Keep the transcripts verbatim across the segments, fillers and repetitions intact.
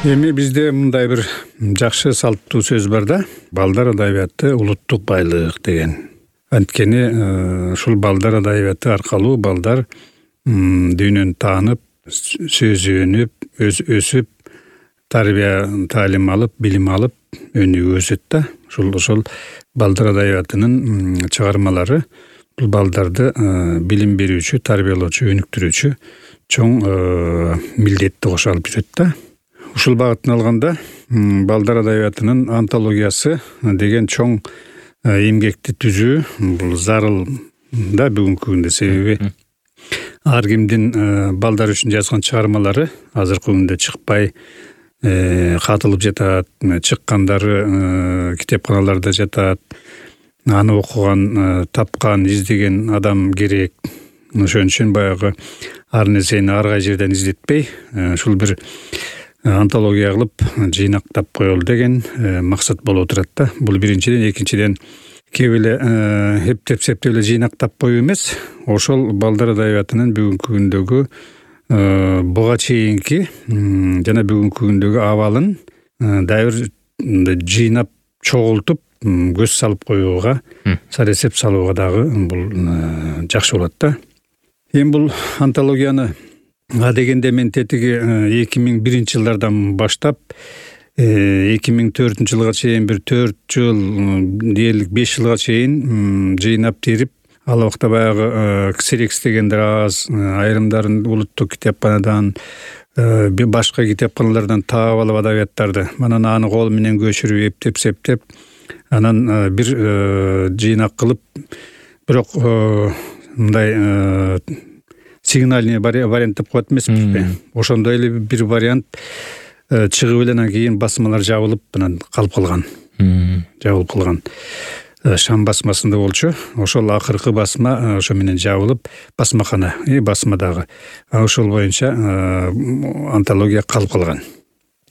Эми бизде мындай бир жакшы салттуу сөз бар да, балдар адабияты улуттук байлык деген. Анткени ушул балдар адабияты аркылуу балдар дүйнөнү таанып, сөзүнүп, өсүп, тарбия таалим алып, билим алып, өнүгүп өсөт да. Ушул ошол балдар адабиятынын чыгармалары бул балдарды билим берүүчү, тарбиялоочу, өнүктүрүүчү чоң милдетти кошо алып жүрөт да. Ушул багыттан алганда балдар адабиятынын антологиясы деген чоң эмгекти түзүү бул зарыл да бүгүнкү күндө. Себеби ар кимдин балдар үчүн жазган чыгармалары азыркы күндө чыкпай катылып жатат, чыккандары китепканаларда жатат. Аны окуган, тапкан, издеген адам керек. Ошон үчүн баягы ар нерсени ар кай жерден издетпей, ушул бир антология кылып жыйнактап коелу деген максат болуп турат да. Бул биринчиден, экинчиден кеп эле эптеп септеп эле жыйнактап коюу эмес, ошол балдар адабиятынын бүгүнкү күндөгү буга чейинки жана бүгүнкү күндөгү абалын дагы бир жыйнап чогултуп көз салып коюуга, саресеп салууга дагы бул жакшы болот да. Эми бул антологияны А дегенде мен тетиги эки миң биринчи жылдардан баштап эки миң төртүнчү жылга чейин бир төрт жыл, дээрлик беш жылга чейин жыйнап терип, ал убакта баягы ксерекс дегендер аз, айрымдарын улуттук китепканадан, башка китепканалардан таап алып адабияттарды, анан аны кол менен көчүрүп, эптеп септеп, анан бир жыйнак кылып, бирок мындай сигнальный вариант деп коет эмеспизби? Ошондой эле бир вариант чыгып эле анан кийин басмалар жабылып анан калып калган. Жабылып калган. Шам басмасында болчу. Ошол акыркы басма ошо менен жабылып, басмакана, и басмадагы. Ошол боюнча антология калып калган.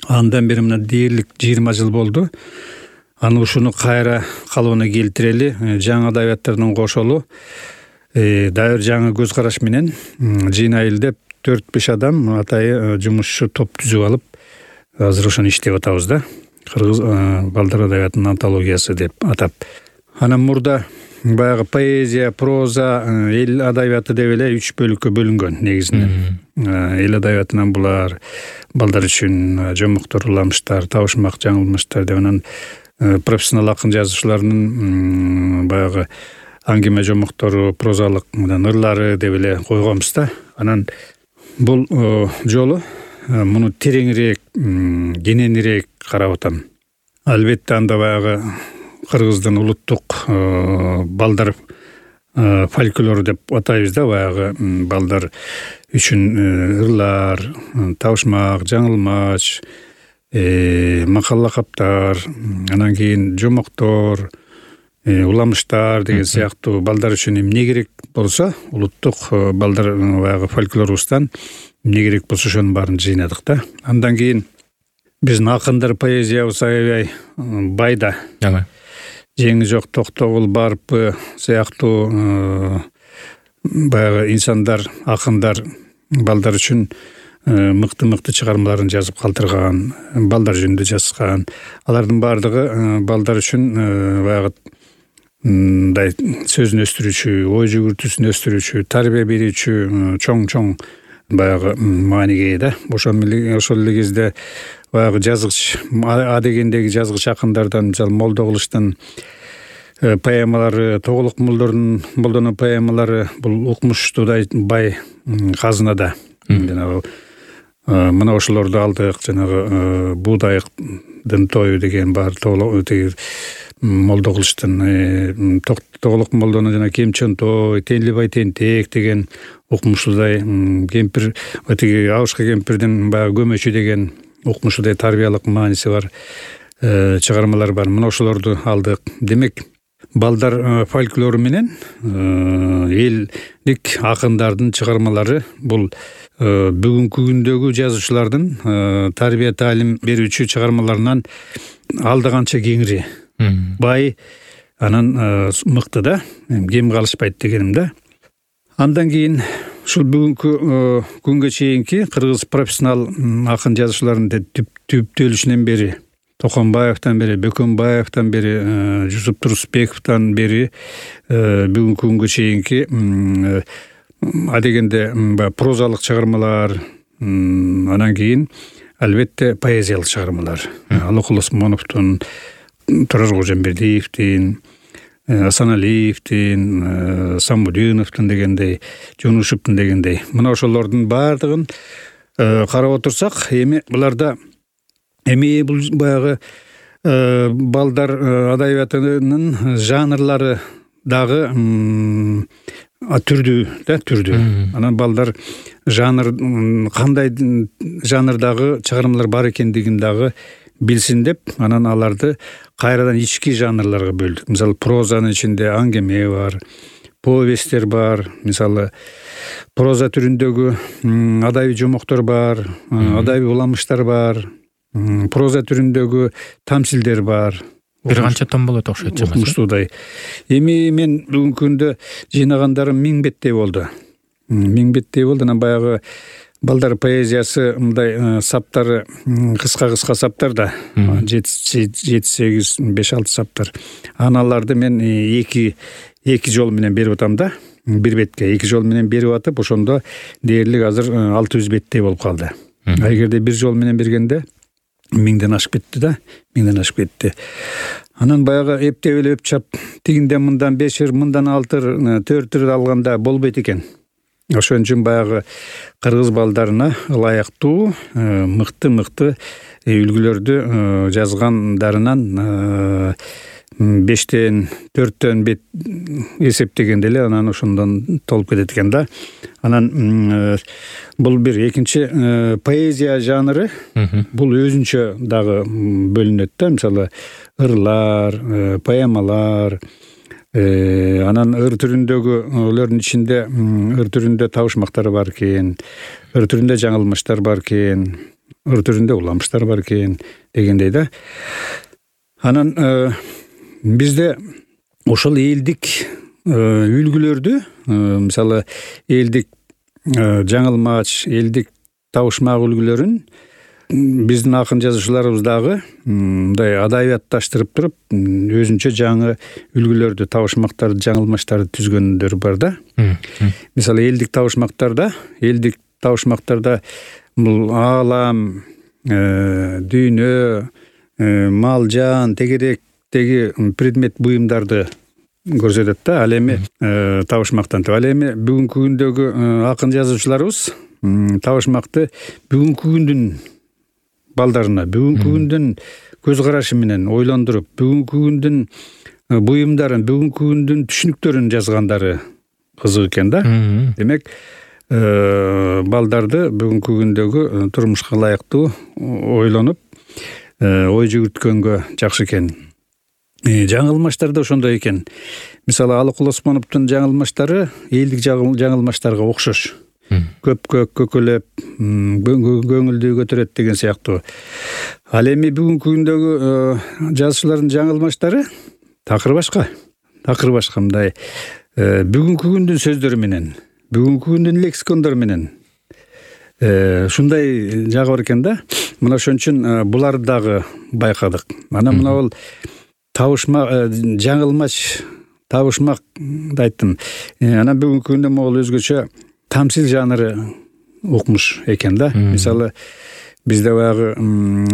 Андан бери мына дээрлик жыйырма жыл болду. Аны ушуну кайра калыбына келтирели, жаңы адабияттардын кошолу дайыр жаңы көз караш менен жыйнайлы деп төрт беш адам атайы жумушчу топ түзүп алып, азыр ошону иштеп атабыз да. Кыргыз балдар адабиятынын антологиясы деп атап. Анан мурда баягы поэзия, проза, эл адабияты деп эле үч бөлүккө бөлүнгөн негизинен. Эл адабиятынан булар балдар үчүн жомоктор, уламыштар, табышмак, жаңылмыштар деп, анан профессионал акын жазуучулардын баягы аңгеме жомоктору, прозалык ырлары деп эле койгонбуз да. Анан бул жолу муну тереңирээк, кененирээк карап атам. Албетте анда баягы кыргыздын улуттук балдар фольклору деп атайбыз да, баягы балдар үчүн ырлар, табышмак, жаңылмач, макал лакаптар, анан кийин жомоктор, уламыштар деген сыяктуу балдар үчүн эмне керек болсо, улуттук балдар баягы фольклорубуздан эмне керек болсо ошонун баарын жыйнадык да. Андан кийин биздин акындар поэзиябыз аябай бай да. Жеңи жок Токтогул, Барпы сыяктуу баягы инсандар, акындар балдар үчүн мыкты-мыкты чыгармаларын жазып калтырган, балдар жөнүндө жазган. Алардын баардыгы балдар үчүн баягы мындай сөзүн өстүрүүчү, ой жүгүртүүсүн өстүрүүчү, тарбия берүүчү чоң-чоң баягы мааниге ээ да. Ошол ошол эле кезде баягы жазгыч, А дегендеги жазгыч акындардан, мисалы Молдоголуштун поэмалары, Тоголук молдордун молдонун поэмалары бул укмуштуудай бай казына да. Жанагы мына ошолорду алдык, жанагы Буудайдын тою деген бар, Тоголук Молдоголуштун Тоголук молдонун жана Кемчен той, Тенлибай тентек деген укмуштуудай кемпир, тиги Абышка кемпирдин баягы көмөчү деген укмуштуудай тарбиялык мааниси бар чыгармалар бар. Мына ошолорду алдык. Демек, балдар фольклору менен элдик акындардын чыгармалары бул бүгүнкү күндөгү жазуучулардын тарбия таалим берүүчү чыгармаларынан алда канча кеңири, бай, анан мыкты да, кем калышпайт дегеним да. Андан кийин ушул бүгүнкү күнгө чейинки кыргыз профессионал акын жазуучуларынын түптөлүшүнөн бери, Токонбаевден бери, Бөкөнбаевден бери, Жусуп Турусбековдон бери бүгүнкү күнгө чейинки адегенде прозалык чыгармалар, анан кийин албетте поэзиялык чыгармалар. Алыкул Осмоновдун, Турар Кожомбердиевдин, Асаналиевдин, Самудиновдун дегендей, Жунушевдун дегендей. Мына ошолордун баардыгын карап отурсак, эми буларда эми бул баягы балдар адабиятынын жанрлары дагы түрдүү да түрдүү. Анан балдар жанр кандай жанрдагы чыгармалар бар экендигин дагы билсин деп, анан аларды кайрадан ички жанрларга бөлдүк. Мисалы, прозанын ичинде аңгеме бар, повесттер бар, мисалы, проза түрүндөгү адабий жомоктор бар, адабий уламыштар бар, проза түрүндөгү тамсилдер бар. Бир канча том болот окшойт чамасы. Укмуштуудай. Эми мен бүгүнкү күндө жыйнагандарым миң беттей болду. Миң беттей болду. Анан баягы балдар поэзиясы мындай саптары кыска-кыска саптар да. жети сегиз беш алты саптар. Аналарды мен эки эки жол менен берип атам да. Бир бетке эки жол менен берип атып, ошондо дээрлик азыр алты жүз беттей болуп калды. А эгерде бир жол менен бергенде миңден ашып кетти да, миңден ашып кетти. Анан баягы эптеп эле өпчап, тигинден мындан бешир, мындан алтыр, төртүр алганда болбойт экен. Ошон үчүн баягы кыргыз балдарына ылайыктуу, мыкты-мыкты үлгүлөрдү жазгандарынан бештен, төрттөн бет эсептегенде эле анан ошондон толуп кетет экен да. Анан бул бир. Экинчи, поэзия жанры бул өзүнчө дагы бөлүнөт да. Мисалы, ырлар, поэмалар, анан ыр түрүндөгү ичинде ыр түрүндө табышмактар бар экен, ыр түрүндө жаңылмыштар бар экен, ыр түрүндө уламыштар бар экен дегендей да. Анан бизде ошол элдик үлгүлөрдү, мисалы, элдик жаңылмач, элдик табышмак үлгүлөрүн биздин акын жазуучуларыбыз дагы мындай адабиятташтырып туруп, өзүнчө жаңы үлгүлөрдү, табышмактарды, жаңылмаштарды түзгөндөр бар да. Мисалы, элдик табышмактарда, элдик табышмактарда бул аалам, дүйнө, мал жан, тегеректеги предмет буюмдарды көрсөтөт да. Ал эми табышмактан. Ал эми бүгүнкү күндөгү акын жазуучуларыбыз табышмакты бүгүнкү күндүн балдарына, бүгүнкү күндүн көз карашы менен ойлондуруп, бүгүнкү күндүн буюмдарын, бүгүнкү күндүн түшүнүктөрүн жазгандары кызык экен да. Демек, балдарды бүгүнкү күндөгү турмушка ылайыктуу ойлонуп, ой жүгүрткөнгө жакшы экен. Жаңылмаштар да ошондой экен. Мисалы, Алыкул Осмоновдун жаңылмаштары элдик жаңылмаштарга окшош. Көп-көп көкөлөп, көңүлдү көтөрөт деген сыяктуу. Ал эми бүгүнкү күндөгү жазуучулардын жаңылмаштары такыр башка. Такыр башка мындай бүгүнкү күндүн сөздөрү менен, бүгүнкү күндүн лексикондору менен ушундай жагы бар экен да. Мына ошон үчүн буларды дагы байкадык. Анан мына бул табышмак, жаңылмач, табышмак айттым. Анан бүгүнкү күндө могул өзгөчө тамсил жанры укмуш экен да. Мисалы, бизде баягы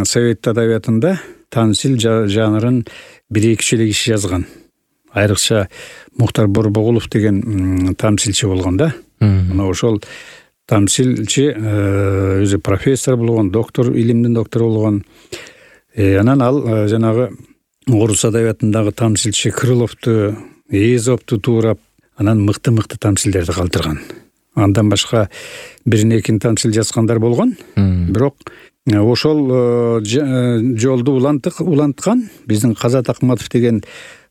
совет адабиятында тамсил жанрын бир-эки эле киши жазган. Айрыкча Мухтар Борбогулов деген тамсилчи болгон да. Мына ошол тамсилчи өзү профессор болгон, доктор, илимдин доктору болгон. Анан ал жанагы орус адабиятындагы тамсилчи Крыловду, Эзопту туурап, анан мыкты-мыкты тамсилдерди калтырган. Андан башка бирин экин тамсил жазгандар болгон. Бирок ошол жолду уланткан биздин Казат Акматов деген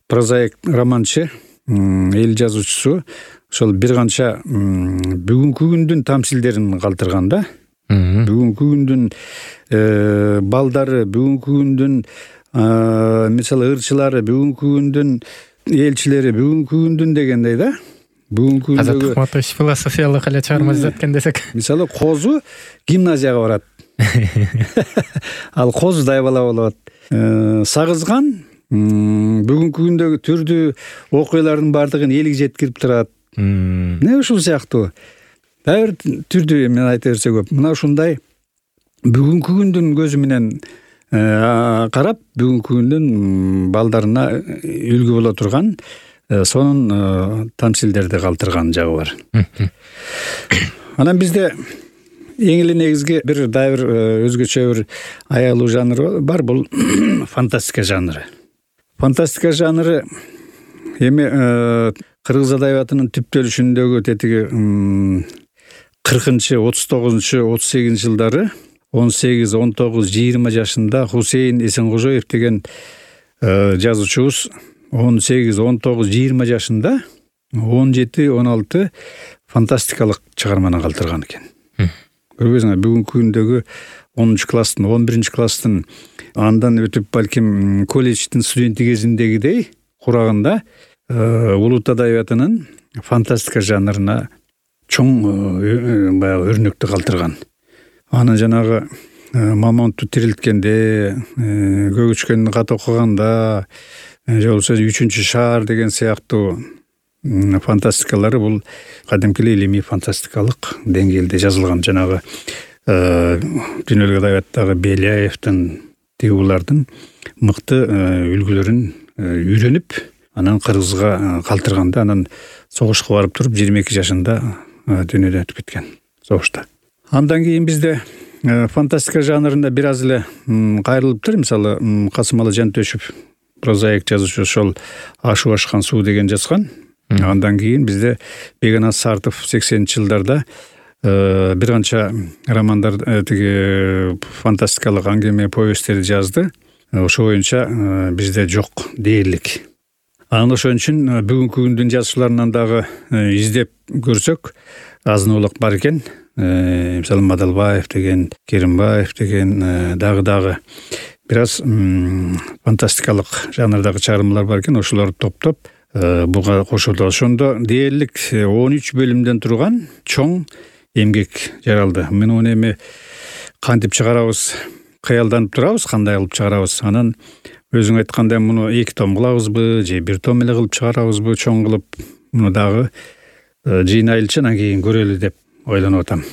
прозаик, романчы, эл жазуучусу ошол бир канча бүгүнкү күндүн тамсилдерин калтырган да. Бүгүнкү күндүн балдары, бүгүнкү күндүн мисалы ырчылары, бүгүнкү күндүн элчилери, бүгүнкү күндүн дегендей да. бүгүнкү Азат күндөгү Акматович философиялык эле чыгарма жазат экен десек. мисалы Козу гимназияга барат. Ал Козудай бала болот. Сагызган бүгүнкү күндөгү түрдүү окуялардын баардыгын элге жеткирип турат. Не ушул сыяктуу дайыр түрдүү мен айта берсе көп. Мына ушундай бүгүнкү күндүн көзү менен карап, бүгүнкү күндүн балдарына үлгү боло турган сонун тамсилдерди калтырган жагы бар. Анан бизде эң эле негизги бир дайыр өзгөчө бир аялуу жанр бар, бул фантастика жанры. Фантастика жанры эми кыргыз адабиятынын түптөлүшүндөгү тетиги кыркынчы, отуз тогузунчу, отуз сегизинчи жылдары он сегиз, он тогуз, жыйырма жашында Хусейин Эсенкожоев деген жазуучубуз он сегиз, он тогуз, жыйырма жашында он жети, он алты фантастикалык чыгарманы калтырган экен. Көрбөйсүңбү, бүгүнкү күндөгү онунчу класстын, он биринчи класстын андан өтүп балким колледждин студенти кезиндегидей курагында улут адабиятынын фантастика жанрына чоң баягы өрнөктү калтырган. Анын жанагы Мамонтту тирилткенде, көк үчкөндү кат окуганда, же болбосо үчүнчү шаар деген сыяктуу фантастикалары бул кадимки илимий фантастикалык деңгээлде жазылган. Жанагы дүйнөлүк адабияттагы Беляевдин, тигулардын мыкты үлгүлөрүн үйрөнүп, анан кыргызга калтырганда, анан согушка барып туруп жыйырма эки жашында дүйнөдөн өтүп кеткен согушта. Андан кийин бизде фантастика жанрында бир аз эле кайрылыптыр. Мисалы Касымалы Жантөшев, прозаик жазуучу, ошол Ашу ашкан суу деген жазган. Андан кийин бизде Бегенас Сартов сексенинчи жылдарда бир канча романдар, тиги фантастикалык аңгеме, повесттерди жазды. Ошо боюнча бизде жок дээрлик. Анан ошон үчүн бүгүнкү күндүн жазуучуларынан дагы издеп көрсөк азын-аулак бар экен. Мисалы Мадалбаев деген, Керимбаев деген дагы-дагы бир аз фантастикалык жанрдагы чыгармалар бар экен. Ошолорду топтоп буга кошулду. Ошондо дээрлик он үч бөлүмдөн турган чоң эмгек жаралды. Мен уну эми кантип чыгарабыз, кыялданып турабыз, кандай кылып чыгарабыз. Анан өзүң айткандай муну эки том кылабызбы, же бир том эле кылып чыгарабызбы, чоң кылып, муну дагы жыйнайлычы анан кийин көрөлү деп ойлонуп атам.